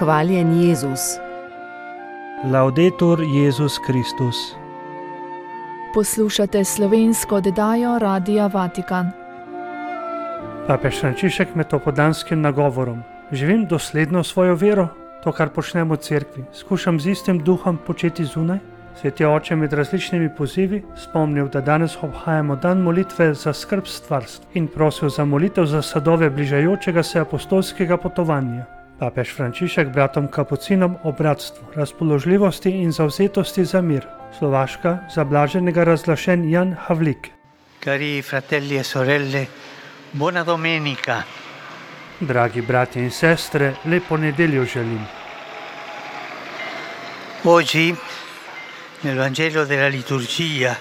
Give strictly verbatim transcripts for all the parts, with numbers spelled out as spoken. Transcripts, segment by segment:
Hvaljen Jezus. Laudetur Jezus Kristus. Poslušate slovensko oddajo Radia Vatikan. Papež Frančišek med opoldanskim nagovorom. Živim dosledno svojo vero, to, kar počnem v cerkvi. Skušam z istim duhom početi zunaj. Sveti oče med različnimi pozivi spomnil, da danes obhajamo dan molitve za skrb stvarstva in prosil za molitev za sadove bližajočega se apostolskega potovanja. Papež Frančišek bratom kapucinom o bratstvu, razpoložljivosti in zavzetosti za mir. Slovaška za blaženega razglašen Jan Havlik. Cari fratelli e sorelle, buona domenica. Dragi brati in sestre, lepo nedeljo želim. Oggi, nel Vangelo della liturgia,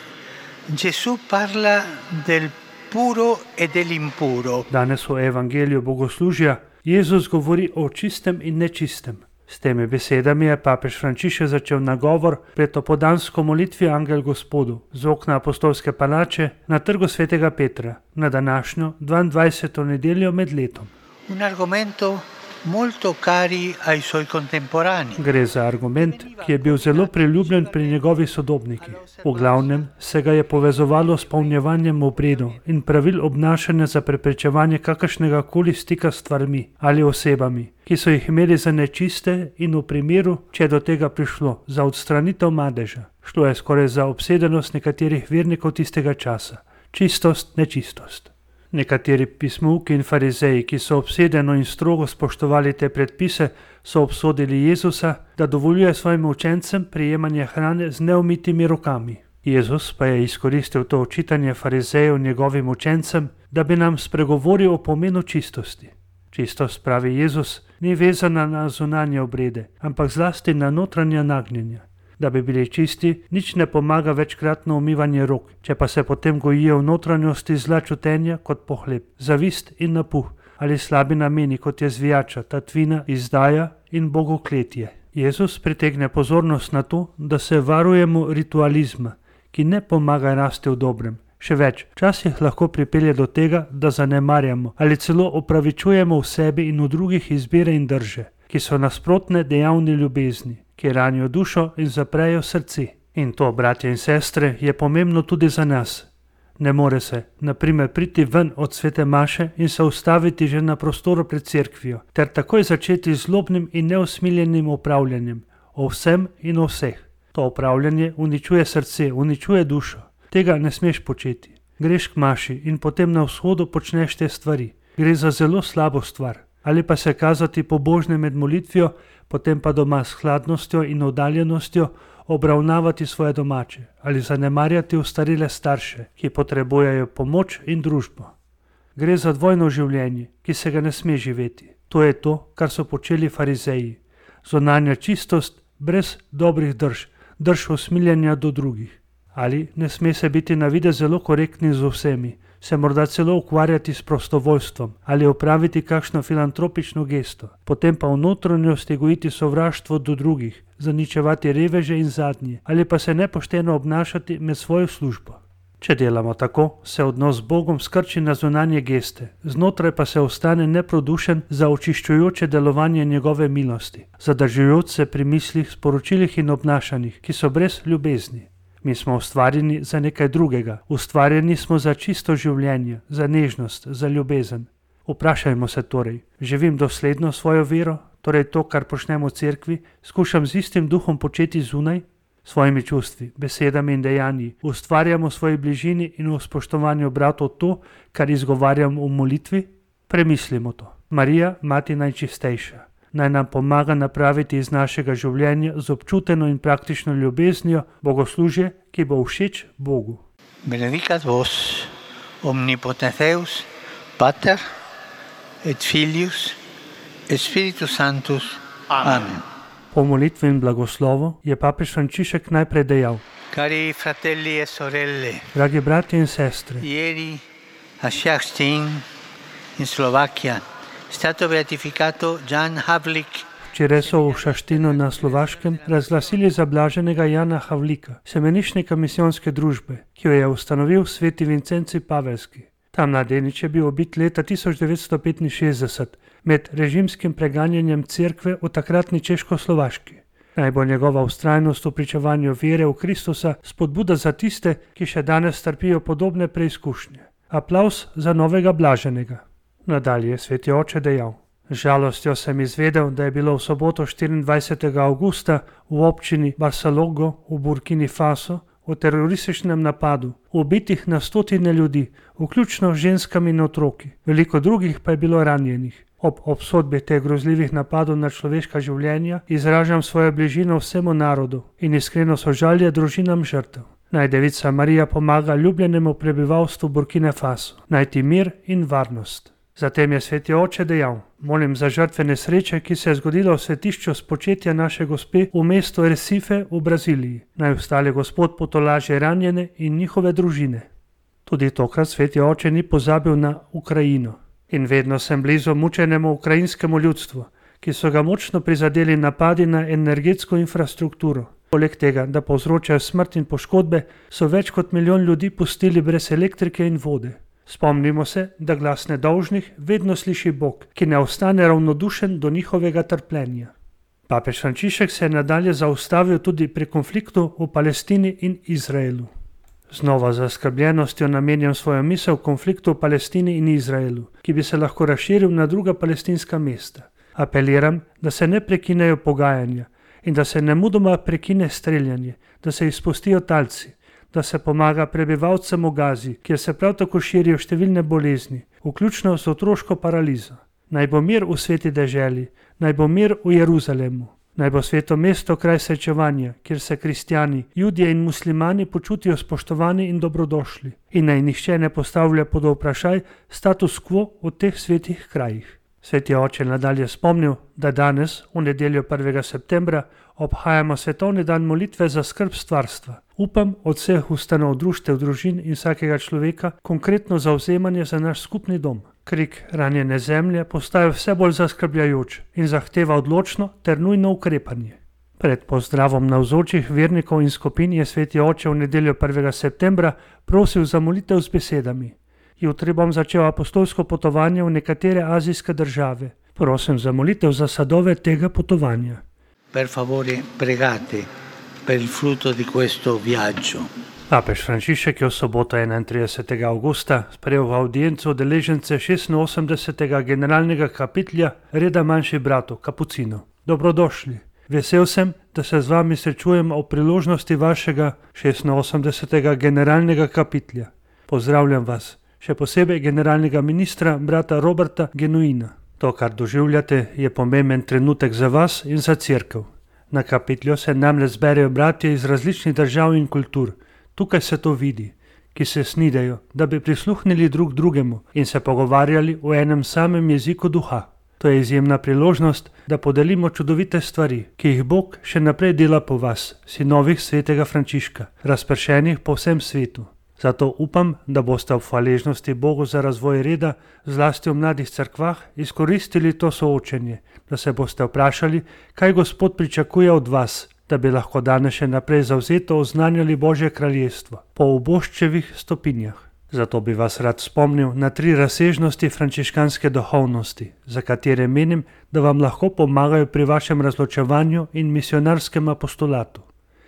Gesù parla del puro e dell'impuro. Danes v Evangeliju bogoslužja Jezus govori o čistem in nečistem. S temi besedami je papež Frančišek začel nagovor pred opoldansko molitvijo Angel Gospodu z okna apostolske palače na trgu svetega Petra na današnjo dvaindvajseto nedeljo med letom. Un argomento molto cari ai suoi contemporanei. Gre za argument, ki je bil zelo priljubljen pri njegovih sodobnikih. V glavnem se ga je povezovalo s polnjevanjem obredov in pravil obnašanja za preprečevanje kakršnega koli stika s stvarmi ali osebami, ki so jih imeli za nečiste, in v primeru, če je do tega prišlo, za odstranitev madeža. Šlo je skoraj za obsedenost nekaterih vernikov tistega časa. Čistost, nečistost. Nekateri pismouki in farizeji, ki so obsedeno in strogo spoštovali te predpise, so obsodili Jezusa, da dovoljuje svojim učencem prijemanje hrane z neumitimi rokami. Jezus pa je izkoristil to očitanje farizejev njegovim učencem, da bi nam spregovoril o pomenu čistosti. Čistost, pravi Jezus, ni vezana na zunanje obrede, ampak zlasti na notranja nagnjenja. Da bi bili čisti, nič ne pomaga večkratno umivanje rok, če pa se potem gojijo v notranjosti zla čutenja kot pohlep, zavist in napuh ali slabi nameni, kot je zvijača, tatvina, izdaja in bogokletje. Jezus pritegne pozornost na to, da se varujemo ritualizma, ki ne pomaga rasti v dobrem. Še več, včasih lahko pripelje do tega, da zanemarjamo ali celo opravičujemo v sebi in v drugih izbire in drže, ki so nasprotne dejavni ljubezni, ki ranijo dušo in zaprejo srce. In to, bratje in sestre, je pomembno tudi za nas. Ne more se, na primer, priti ven od svete maše in se ustaviti že na prostoru pred cerkvijo, ter takoj začeti z zlobnim in neusmiljenim upravljanjem o vsem in o vseh. To upravljanje uničuje srce, uničuje dušo. Tega ne smeš početi. Greš k maši in potem na vzhodu počneš te stvari. Gre za zelo slabo stvar. Ali pa se kazati pobožne med molitvijo, potem pa doma s hladnostjo in oddaljenostjo obravnavati svoje domače ali zanemarjati ostarele starše, ki potrebujejo pomoč in družbo. Gre za dvojno življenje, ki se ga ne sme živeti. To je to, kar so počeli farizeji. Zunanja čistost brez dobrih drž, drž usmiljenja do drugih. Ali ne sme se biti na videz zelo korektni z vsemi, se morda celo ukvarjati s prostovoljstvom ali opraviti kakšno filantropično gesto, potem pa v notranjosti gojiti sovraštvo do drugih, zaničevati reveže in zadnje, ali pa se nepošteno obnašati med svojo službo. Če delamo tako, se odnos z Bogom skrči na zunanje geste, znotraj pa se ostane neprodušen za očiščujoče delovanje njegove milosti, zadržujoč se pri mislih, sporočilih in obnašanjih, ki so brez ljubezni. Mi smo ustvarjeni za nekaj drugega, ustvarjeni smo za čisto življenje, za nežnost, za ljubezen. Vprašajmo se torej, živim dosledno svojo vero, torej to, kar počnem v cerkvi, skušam z istim duhom početi zunaj, svojimi čustvi, besedami in dejanji, ustvarjam v svoji bližini in v spoštovanju bratov to, kar izgovarjam v molitvi? Premislimo to. Marija, mati najčistejša, naj nam pomaga napraviti iz našega življenja z občuteno in praktično ljubeznijo bogoslužje, ki bo všeč Bogu. Benedicat vos, omnipotens Deus, Pater et Filius et Spiritus Sanctus. Amen. Po molitvi in blagoslovu je papež Frančišek najprej dejal: Cari fratelli e sorelle, dragi bratje in sestre, ieri a Šaštín in Slovakia è stato beatificato Jan Havlik. Včeraj so v Šaštinu na Slovaškem razglasili za blaženega Jana Havlika, semenišnika misijonske družbe, ki jo je ustanovil sveti Vincenci Pavelski. Ta mladenič je bil ubit leta tisoč devetsto petinšestdeset med režimskim preganjanjem cerkve v takratni Češkoslovaški. Naj bo njegova vztrajnost v pričevanju vere v Kristusa spodbuda za tiste, ki še danes trpijo podobne preizkušnje. Aplavz za novega blaženega. Nadalje je sveti oče dejal: Z žalostjo sem izvedel, da je bilo v soboto štiriindvajsetega avgusta v občini Barsalogho v Burkini Faso v terorističnem napadu ubitih na stotine ljudi, vključno z ženskami in otroki, veliko drugih pa je bilo ranjenih. Ob obsodbi teh grozljivih napadov na človeška življenja izražam svojo bližino vsemu narodu in iskreno sožalje družinam žrtev. Naj Devica Marija pomaga ljubljenemu prebivalstvu Burkine Faso najti mir in varnost. Zatem je sveti oče dejal: Molim za žrtve nesreče, ki se je zgodila v svetišču spočetja naše gospe v mestu Recife v Braziliji. Naj ostale Gospod potolaži ranjene in njihove družine. Tudi tokrat sveti oče ni pozabil na Ukrajino. In vedno sem blizu mučenemu ukrajinskemu ljudstvu, ki so ga močno prizadeli napadi na energetsko infrastrukturo. Poleg tega, da povzročajo smrt in poškodbe, so več kot milijon ljudi pustili brez elektrike in vode. Spomnimo se, da glas nedolžnih vedno sliši Bog, ki ne ostane ravnodušen do njihovega trpljenja. Papež Frančišek se je nadalje zaustavil tudi pri konfliktu v Palestini in Izraelu. Znova z zaskrbljenostjo namenjam svojo misel konfliktu v Palestini in Izraelu, ki bi se lahko razširil na druga palestinska mesta. Apeliram, da se ne prekinejo pogajanja in da se nemudoma prekine streljanje, da se izpustijo talci, da se pomaga prebivalcem v Gazi, kjer se prav tako širijo številne bolezni, vključno z otroško paralizo. Naj bo mir v sveti deželi, naj bo mir v Jeruzalemu, naj bo sveto mesto kraj srečevanja, kjer se kristjani, judje in muslimani počutijo spoštovani in dobrodošli in naj nihče ne postavlja pod vprašaj status quo v teh svetih krajih. Sveti oče nadalje spomnil, da danes, v nedeljo prvega septembra, obhajamo svetovni dan molitve za skrb stvarstva. Upam od vseh ustanov, društev, družin in vsakega človeka konkretno zavzemanje za naš skupni dom. Krik ranjene zemlje postaja vse bolj zaskrbljajoč in zahteva odločno ter nujno ukrepanje. Pred pozdravom navzočih vernikov in skupin je sveti oče v nedeljo prvega septembra prosil za molitev z besedami: Jutri bom začel apostolsko potovanje v nekatere azijske države. Prosim za molitev za sadove tega potovanja. Per favore, pregate per il frutto di questo viaggio. Papež Frančišek je v soboto enaintridesetega avgusta sprejel v avdienco udeležence šestinosemdesetega generalnega kapitlja reda manjših bratov, kapucinov. Dobrodošli. Vesel sem, da se z vami srečujem ob priložnosti vašega šestinosemdesetega generalnega kapitlja. Pozdravljam vas. Še posebej generalnega ministra, brata Roberta Genuina. To, kar doživljate, je pomemben trenutek za vas in za cerkev. Na kapitlju se namreč zberejo bratje iz različnih držav in kultur. Tukaj se to vidi, ki se snidejo, da bi prisluhnili drug drugemu in se pogovarjali v enem samem jeziku duha. To je izjemna priložnost, da podelimo čudovite stvari, ki jih Bog še naprej dela po vas, sinovih svetega Frančiška, razpršenih po vsem svetu. Zato upam, da boste v hvaležnosti Bogu za razvoj reda, zlasti v mladih cerkvah, izkoristili to soočenje, da se boste vprašali, kaj Gospod pričakuje od vas, da bi lahko danes še naprej zavzeto oznanjali Božje kraljestvo po uboščevih stopinjah. Zato bi vas rad spomnil na tri razsežnosti frančiškanske duhovnosti, za katere menim, da vam lahko pomagajo pri vašem razločevanju in misionarskem apostolatu.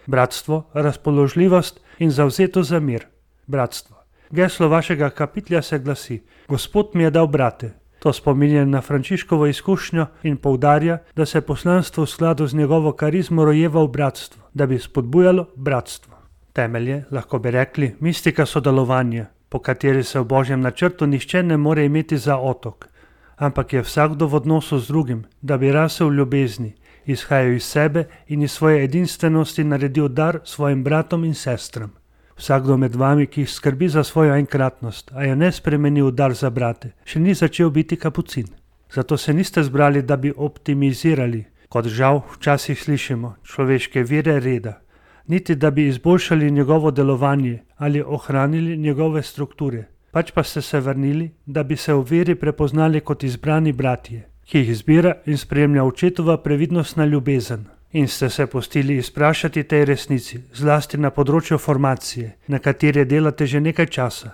Bratstvo, razpoložljivost in zavzeto za mir. Bratstvo. Geslo vašega kapitlja se glasi: Gospod mi je dal brate. To spominja na Frančiškovo izkušnjo in poudarja, da se poslanstvo v skladu z njegovo karizmo rojeva v bratstvo, da bi spodbujalo bratstvo. Temelje, lahko bi rekli, mistika sodelovanja, po kateri se v Božjem načrtu nihče ne more imeti za otok, ampak je vsakdo v odnosu z drugim, da bi rasel v ljubezni, izhajal iz sebe in iz svoje edinstvenosti naredil dar svojim bratom in sestram. Vsakdo med vami, ki skrbi za svojo enkratnost, a je ne spremeni v dar za brate, še ni začel biti kapucin. Zato se niste zbrali, da bi optimizirali, kot žal včasih slišimo, človeške vire reda, niti da bi izboljšali njegovo delovanje ali ohranili njegove strukture, pač pa ste se vrnili, da bi se v veri prepoznali kot izbrani bratje, ki jih zbira in spremlja očetova previdnostna ljubezen. In ste se pustili izprašati tej resnici, zlasti na področju formacije, na kateri delate že nekaj časa.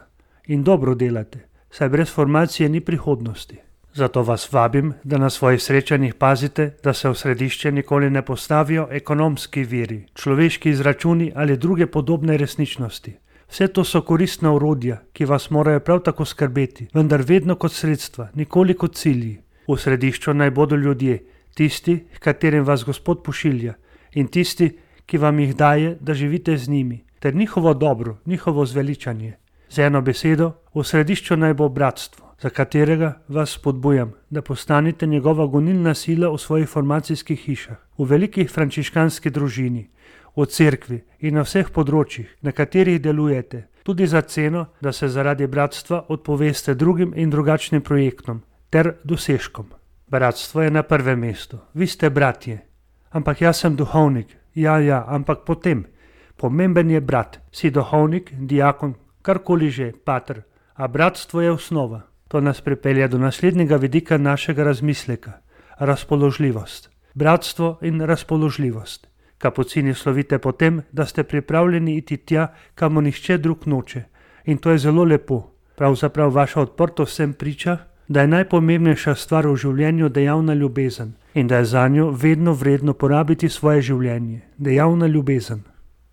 In dobro delate, saj brez formacije ni prihodnosti. Zato vas vabim, da na svojih srečanjih pazite, da se v središče nikoli ne postavijo ekonomski viri, človeški izračuni ali druge podobne resničnosti. Vse to so koristna orodja, ki vas morajo prav tako skrbeti, vendar vedno kot sredstva, nikoli kot cilji. V središču naj bodo ljudje, tisti, h katerim vas Gospod pošilja, in tisti, ki vam jih daje, da živite z njimi, ter njihovo dobro, njihovo zveličanje. Z eno besedo, v središču naj bo bratstvo, za katerega vas spodbujam, da postanete njegova gonilna sila v svojih formacijskih hišah, v veliki frančiškanski družini, v cerkvi in na vseh področjih, na katerih delujete, tudi za ceno, da se zaradi bratstva odpoveste drugim in drugačnim projektom ter dosežkom. Bratstvo je na prvem mestu, vi ste bratje. Ampak jaz sem duhovnik, ja, ja, ampak potem. Pomemben je brat, si duhovnik, diakon, karkoli že, pater, a bratstvo je osnova. To nas pripelje do naslednjega vidika našega razmisleka, razpoložljivost. Bratstvo in razpoložljivost. Kapucini slovite po tem, da ste pripravljeni iti tja, kamor nihče drug noče. In to je zelo lepo. Pravzaprav vaša odprtost vsem priča, da je najpomembnejša stvar v življenju dejavna ljubezen in da je zanjo vedno vredno porabiti svoje življenje. Dejavna ljubezen.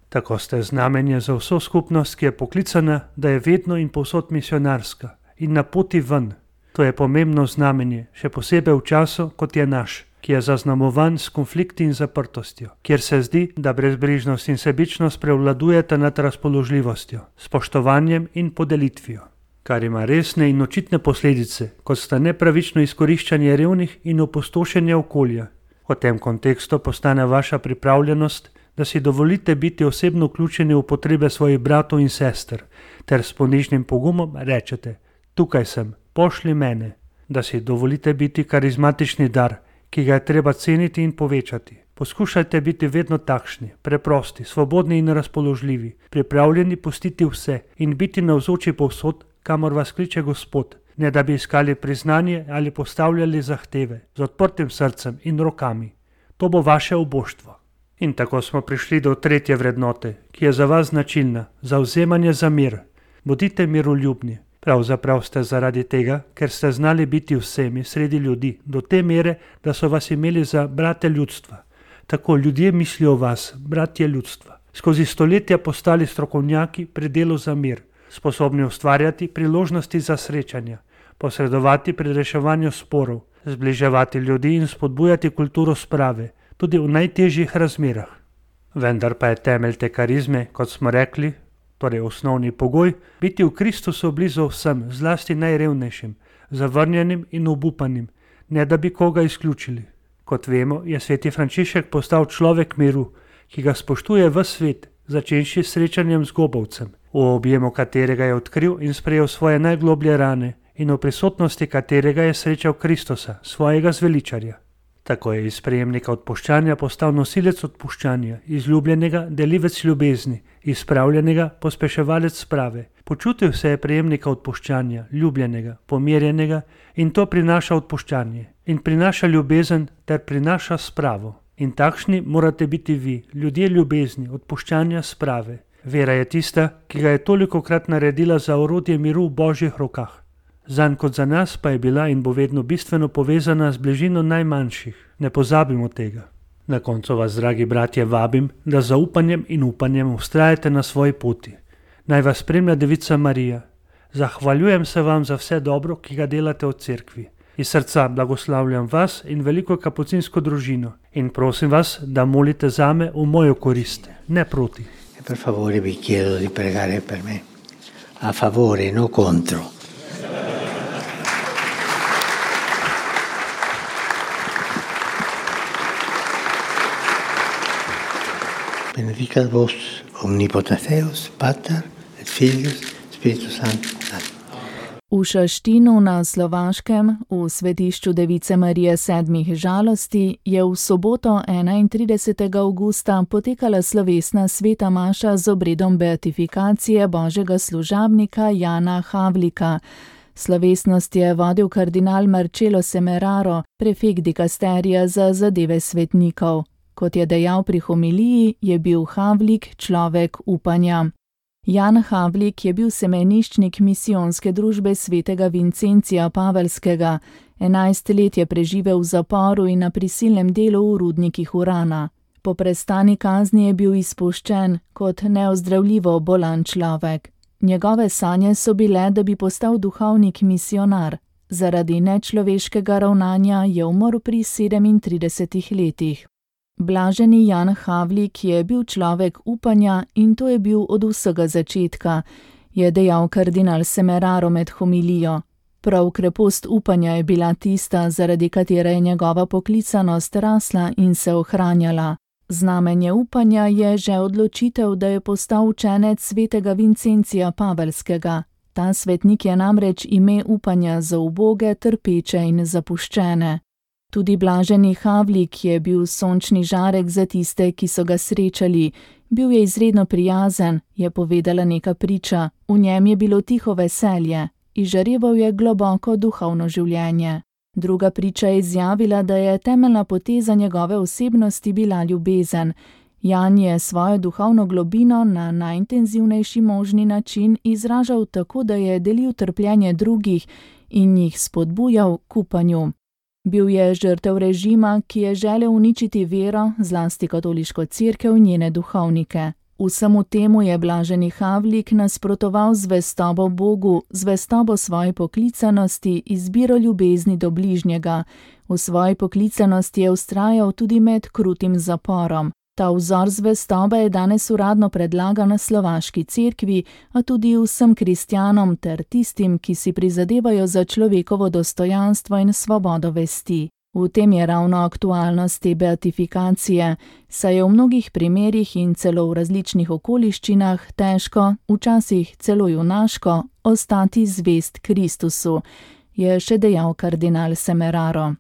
Tako ste znamenje za vso skupnost, ki je poklicana, da je vedno in povsod misionarska in na poti ven. To je pomembno znamenje, še posebej v času, kot je naš, ki je zaznamovan s konflikti in zaprtostjo, kjer se zdi, da brezbrižnost in sebičnost prevladujeta nad razpoložljivostjo, spoštovanjem in podelitvijo, kar ima resne in očitne posledice, kot sta nepravično izkoriščanje revnih in opustošenje okolja. V tem kontekstu postane vaša pripravljenost, da si dovolite biti osebno vključeni v potrebe svojih bratov in sester, ter s ponižnim pogumom rečete: tukaj sem, pošli mene, da si dovolite biti karizmatični dar, ki ga je treba ceniti in povečati. Poskušajte biti vedno takšni, preprosti, svobodni in razpoložljivi, pripravljeni pustiti vse in biti navzoči povsod, kamor vas kliče Gospod, ne da bi iskali priznanje ali postavljali zahteve, z odprtim srcem in rokami. To bo vaše oboštvo. In tako smo prišli do tretje vrednote, ki je za vas značilna, zavzemanje za mir. Bodite miroljubni. Pravzaprav ste zaradi tega, ker ste znali biti vsemi sredi ljudi, do te mere, da so vas imeli za brate ljudstva. Tako ljudje mislijo o vas, bratje ljudstva. Skozi stoletja postali strokovnjaki pri delu za mir, sposobni ustvarjati priložnosti za srečanja, posredovati pri reševanju sporov, zbliževati ljudi in spodbujati kulturo sprave, tudi v najtežjih razmerah. Vendar pa je temelj te karizme, kot smo rekli, torej osnovni pogoj, biti v Kristusu blizu vsem, zlasti najrevnejšim, zavrnjenim in obupanim, ne da bi koga izključili. Kot vemo, je sveti Frančišek postal človek miru, ki ga spoštuje ves svet, začenši s srečanjem z gobovcem, v objemu katerega je odkril in sprejel svoje najgloblje rane in v prisotnosti katerega je srečal Kristusa, svojega zveličarja. Tako je iz prejemnika odpuščanja postal nosilec odpuščanja, izljubljenega delivec ljubezni, izpravljenega pospeševalec sprave. Počutil se je prejemnika odpuščanja, ljubljenega, pomirjenega in to prinaša odpuščanje in prinaša ljubezen ter prinaša spravo. In takšni morate biti vi, ljudje ljubezni, odpuščanja, sprave. Vera je tista, ki ga je tolikokrat naredila za orodje miru v Božjih rokah. Zanj kot za nas pa je bila in bo vedno bistveno povezana z bližino najmanjših. Ne pozabimo tega. Na koncu vas, dragi bratje, vabim, da z zaupanjem in upanjem vztrajate na svoji poti. Naj vas spremlja Devica Marija. Zahvaljujem se vam za vse dobro, ki ga delate v cerkvi. Iz srca blagoslavljam vas in veliko kapucinsko družino in prosim vas, da molite zame v mojo korist, ne proti. Per favore vi chiedo di pregare per me. A favore, no contro. Benedicat vos omnipotens Deus, Pater et Filius, Spiritus Sanctus. V Šaštinu na Slovaškem, v svetišču Device Marije sedmih žalosti, je v soboto enaintridesetega avgusta potekala slovesna sveta maša z obredom beatifikacije božjega služabnika Jana Havlika. Slovesnost je vodil kardinal Marcello Semeraro, prefekt dikasterija za zadeve svetnikov. Kot je dejal pri homiliji, je bil Havlik človek upanja. Jan Havlik je bil semeniščnik misijonske družbe svetega Vincencija Pavelskega. Enajst let je preživel v zaporu in na prisilnem delu v rudnikih urana. Po prestani kazni je bil izpuščen kot neozdravljivo bolan človek. Njegove sanje so bile, da bi postal duhovnik misionar. Zaradi nečloveškega ravnanja je umrl pri sedemintridesetih letih. Blaženi Jan Havlik je bil človek upanja in to je bil od vsega začetka, je dejal kardinal Semeraro med homilijo. Prav krepost upanja je bila tista, zaradi katere je njegova poklicanost rasla in se ohranjala. Znamenje upanja je že odločitev, da je postal učenec svetega Vincencija Pavelskega. Ta svetnik je namreč ime upanja za uboge, trpeče in zapuščene. Tudi blaženi Havlik je bil sončni žarek za tiste, ki so ga srečali. Bil je izredno prijazen, je povedala neka priča. V njem je bilo tiho veselje. Izžareval je globoko duhovno življenje. Druga priča je izjavila, da je temeljna poteza njegove osebnosti bila ljubezen. Jan je svojo duhovno globino na najintenzivnejši možni način izražal tako, da je delil trpljenje drugih in jih spodbujal k upanju. Bil je žrtev režima, ki je želel uničiti vero, zlasti katoliško cerkev in njene duhovnike. Vsemu temu je blaženi Havlik nasprotoval zvestobo Bogu, zvestobo svoji poklicanosti, izbiro ljubezni do bližnjega. V svoji poklicanosti je vztrajal tudi med krutim zaporom. Ta vzor zvestobe je danes uradno predlagan na slovaški cerkvi, a tudi vsem kristjanom ter tistim, ki si prizadevajo za človekovo dostojanstvo in svobodo vesti. V tem je ravno aktualnost te beatifikacije, saj je v mnogih primerih in celo v različnih okoliščinah težko, včasih celo junaško, ostati zvest Kristusu, je še dejal kardinal Semeraro.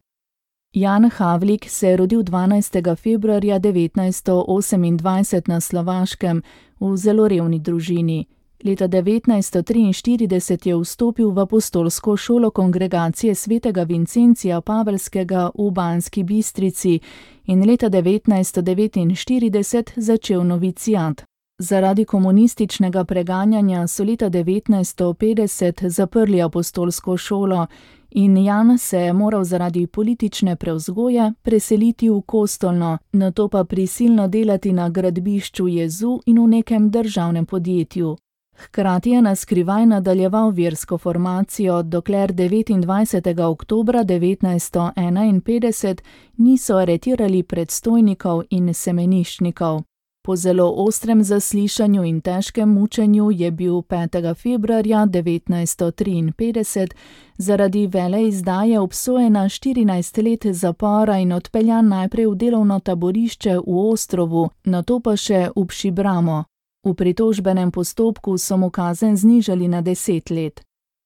Jan Havlik se je rodil dvanajstega februarja devetnajststo osemindvajset na Slovaškem v zelo revni družini. Leta devetnajststo triinštirideset je vstopil v apostolsko šolo kongregacije svetega Vincencija Pavelskega v Banski Bistrici in leta devetnajststo devetinštirideset začel novicijat. Zaradi komunističnega preganjanja so leta devetnajststo petdeset zaprli apostolsko šolo in Jan se je moral zaradi politične prevzgoje preseliti v Kostolno, nato pa prisilno delati na gradbišču Jezu in v nekem državnem podjetju. Hkrati je na skrivaj nadaljeval versko formacijo, dokler devetindvajsetega oktobra devetnajststo enainpetdeset niso aretirali predstojnikov in semeniščnikov. Po zelo ostrem zaslišanju in težkem mučenju je bil petega februarja devetnajststo triinpetdeset zaradi veleizdaje obsojen na štirinajst let zapora in odpeljan najprej v delovno taborišče v Ostrovu, nato pa še v Pšibramo. V pritožbenem postopku so mu kazen znižali na deset let.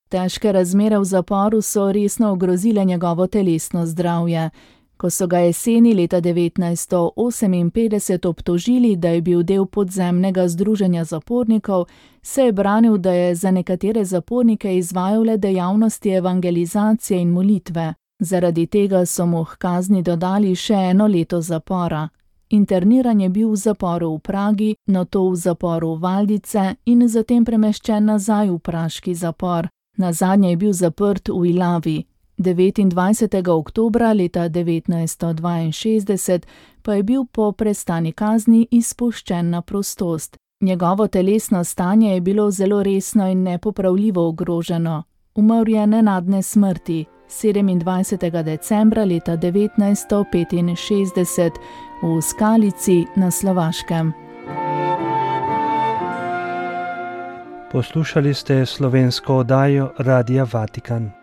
Težke razmere v zaporu so resno ogrozile njegovo telesno zdravje. Ko so ga jeseni leta devetnajststo oseminpetdeset obtožili, da je bil del podzemnega združenja zapornikov, se je branil, da je za nekatere zapornike izvajal le dejavnosti evangelizacije in molitve. Zaradi tega so mu h kazni dodali še eno leto zapora. Interniran je bil v zaporu v Pragi, nato v zaporu Valdice in zatem premeščen nazaj v praški zapor. Nazadnje je bil zaprt v Ilavi. devetindvajsetega oktobra leta devetnajststo dvainšestdeset pa je bil po prestani kazni izpuščen na prostost. Njegovo telesno stanje je bilo zelo resno in nepopravljivo ogroženo. Umrl je nenadne smrti sedemindvajsetega decembra leta devetnajststo petinšestdeset v Skalici na Slovaškem. Poslušali ste slovensko oddajo Radia Vatikan.